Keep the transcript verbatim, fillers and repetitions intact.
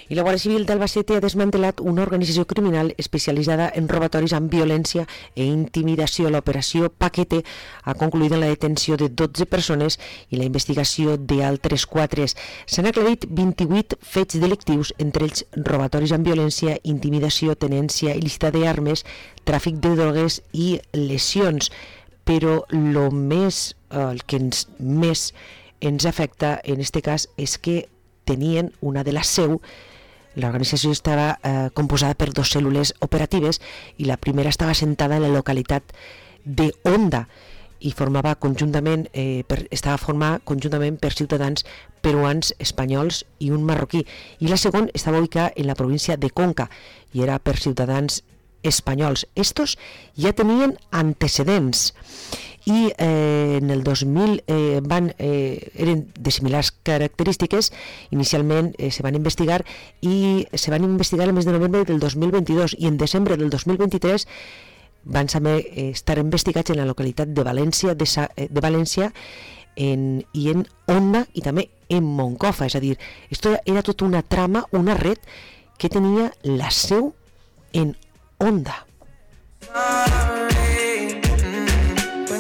I la Guàrdia Civil d'Albacete ha desmantelat una organització criminal especialitzada en robatoris amb violència e intimidació. L'operació Paquete ha concluït en la detenció de dotze persones i la investigació d'altres quatre. S'han aclarit vint-i-vuit fets delictius, entre ells robatoris amb violència, intimidació, tenència il·lícita d'armes, tràfic de drogues i lesions. Però lo més, el que ens, més ens afecta en este cas és que tenien una de la seu. L'organització estava eh, composada per dues cèl·lules operatives i la primera estava assentada en la localitat de Onda i formava conjuntament, eh, per, estava formada conjuntament per ciutadans peruans, espanyols i un marroquí. I la segona estava ubicada en la província de Conca i era per ciutadans espanyols. Estos ja tenien antecedents i eh, en el dos mil eh, van, eh, eren de similars característiques. Inicialment eh, se van investigar i se van investigar el mes de novembre del dos mil vint-i-dos i en desembre del dos mil vint-i-tres van saber eh, estar investigats en la localitat de València, de, Sa de València en, i en Onda i també en Moncofa. És a dir, esto era tota una trama, una red que tenia la seu en Onda.